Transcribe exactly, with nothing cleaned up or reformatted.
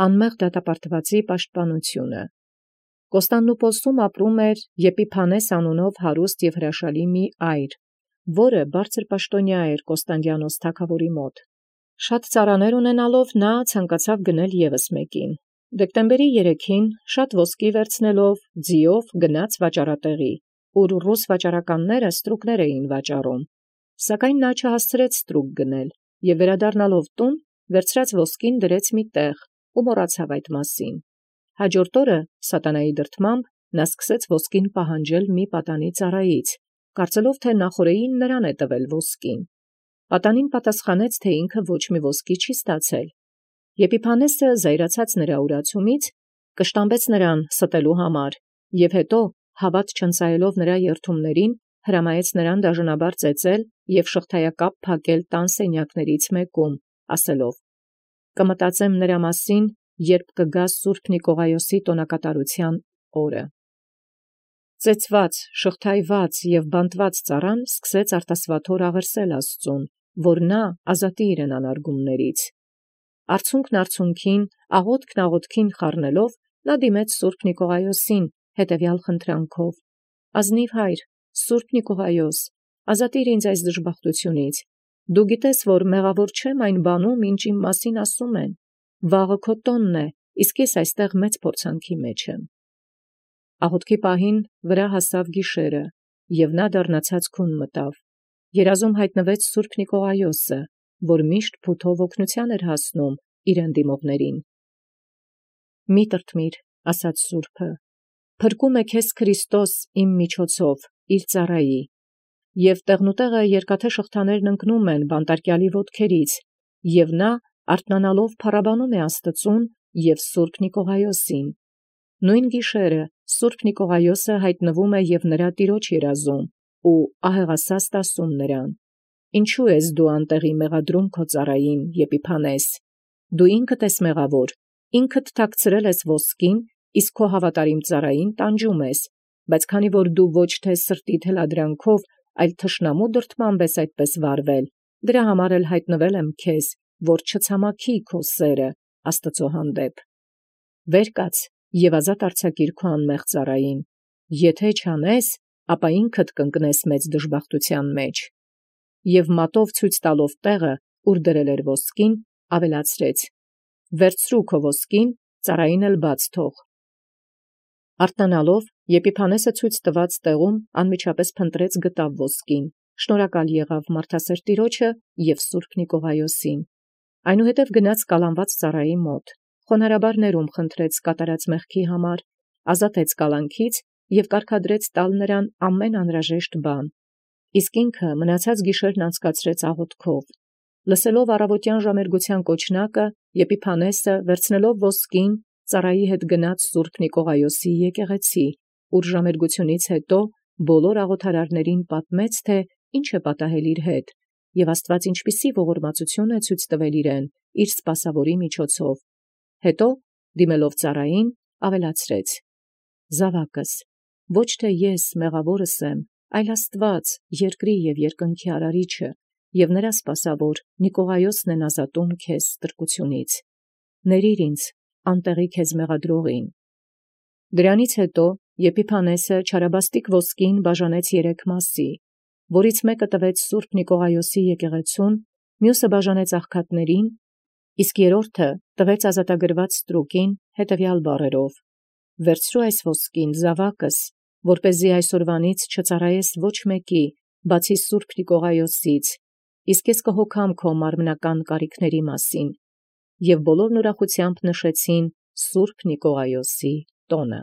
Անմեղ դատապարտուածոյ պաշտպանութիւնը։ Կոստանդնուպոլսում ապրում Եփիփանես անունով յարուստ և հրաշալի մի այր, որը բարձր պաշտաւնյա էր Կոստանդիանոս թագաւորի մոտ։ Շատ ծառաներ ունենալով ցանկացավ գնել ևս մեկին։ Դեկտեմբերի երեքին շատ ոսկի վերցնելով ձիով գնաց վաճառատեղի, ուր ռուս վաճառականները ստրուկներ էին վաճառում։ Սակայն նա չհասցրեց ստրուկ գնել, և վերադառնալով տուն, վերցրած ոսկին դրեց մի տեղ ու մոռացավ այդ մասին։ Հաջորդ օրը սատանայի դրդմամբ նա սկսեց ոսկին պահանջել մի պատանի ծառայից, կարծելով թէ նախօրեին նրան է տվել ոսկին։ Պատանին պատասխանեց, թէ ինքը ոչ մի ոսկի չի ստացել։ Եփիփանեսը զայրացած նրա ուրացումից կշտամբեց նրան ստելու համար, և հետո հաւատ չընծայելով նրա երդումներին, հրամայեց նրան դաժանաբար ծեծել և շղթայակապ փակել տան սենյակաց մեկում, ասելով. «Կմտածեմ նրա մասին, երբ կգա սուրբ Նիկողայոսի տոնակատարութեան օրը»։ Ծեծված, շղթայված և բանտված ծառան սկսեց արտասուաթոր աղերսել Աստուծոյ, որ նորա ազատի իրեն անարգումացն։ Արցունքն արցունքին, աղօթքն աղօթքին խառնելով, նա դիմեց սուրբ Նիկողայոսին հետևեալ խնդրանքով. «Ազնիւ Հայր, սուրբ Նիկողայոս, ազատիր ինձ այս դժբախտութիւնից. դու գիտես, որ մեղաւոր չեմ այն բանում, ինչ իմ մասին ասում են. վաղը քո տոնն է, իսկ ես այստեղ մեծ փորձանքի մեջ եմ»։ Աղօթքի պահին վրայ հասաւ գիշերը, և նա դառնացած քուն մտավ։ Երազում յայտնվեց սուրբ Նիկողայոսը, որ միշտ փութով օգնութեան էր հասնում իրեն դիմողներին։ «Մի՛ տրտմիր, ասաց սուրբը, փրկում է քեզ Քրիստոս իմ միջոցով իր ծառայի, և տեղնուտեղը երկաթե շղթաներն ընկնում են բանտարկեալի ոտքերից, և նա արթնանալով փառաբանում է Աստուծոյ և սուրբ Նիկողայոսին։ Նոյն գիշերը սուրբ Նիկողայոսը յայտնվում է և նրա տիրոջ երազում, ու ահեղասաստ ասում նրան. «Ինչո՞ւ ես դու անտեղի մեղադրում քո ծառային Եփիփանես. դու ինքդ ես մեղավոր, ինքդ թաքցրել ես ոսկին, իսկ քո հաւատարիմ ծառային տանջում ես, բայց քանի որ դու ոչ թէ սրտի թելադրանքով, այլ թշնամու դրդմամբ ես այդպես վարվել, դրա համար էլ յայտնվել եմ քեզ, որ չցամաքի քո սէրը Աստուծոյ հանդեպ։ Վեր կաց և ազատ արձակիր քո անմեղ ծառային. եթէ չանես, ապա ինքդ կընկնես մեծ դժբախտութեան մեջ»։ Եւ մատով ցույց տալով տեղը, ուր դրել էր ոսկին, ավելացրեց. «Վերցրու քո ոսկին, ծառային էլ բաց թող»։ Արթնանալով Եփիփանեսը ցույց տուած տեղում անմիջապես փնտրեց գտավ ոսկին, շնորհակալ եղավ մարդասէր Տեառնէ և սուրբ Նիկողայոսին։ Այնուհետև գնաց կալանված ծառայի մոտ, խոնարհաբար ներում խնդրեց կատարած մեղքի համար, ազատեց կալանքից և կարգադրեց տալ նրան ամեն անհրաժեշտ բան։ Իսկ ինքը մնացած գիշերն անցկացրեց աղօթքով։ Լսելով առավոտեան ժամերգութեան կոչնակը, Եփիփանեսը վերցնելով ոսկին, ծառայի հետ գնաց սուրբ Նիկողայոսի եկեղեցի, ուր ժամերգութենից յետո բոլոր աղոթարարացն պատմեց, թէ ինչ է պատահել իր հետ, և Աստուած ինչպիսի ողորմածութիւն է ցույց տվել իրեն իր սպասաւորի միջոցով։ Հետո դիմելով ծառային, ավելացրեց. «Զաւակս, ոչ թէ ես մեղաւորս եմ, այլ Աստուած երկրի և երկնքի արարիչը, և նրա սպասաւոր Նիկողայոսն են ազատում քեզ ստրկութենից։ Ներիր ինձ անտեղի քեզ մեղադրողին»։ Դրանից յետո Եփիփանեսը չարաբաստիկ ոսկին բաժանեց երեք մասի, որից մեկը տվեց սուրբ Նիկողայոսի եկեղեցւոյն, մյուսը բաժանեց աղքատներուն, իսկ երրորդը տվեց ազատագրված ստրուկին հետևեալ բառերով. «Վերցրու այս ոսկին, զաւակս, որպէսզի այսօրվանից չծառայես ոչ մեկի, բացի սուրբ Նիկողայոսից, իսկ ես կհոգամ քո մարմնական կարիքացն մասին»։ Եւ բոլորն ուրախութեամբ նշեցին սուրբ Նիկողայոսի տոնը։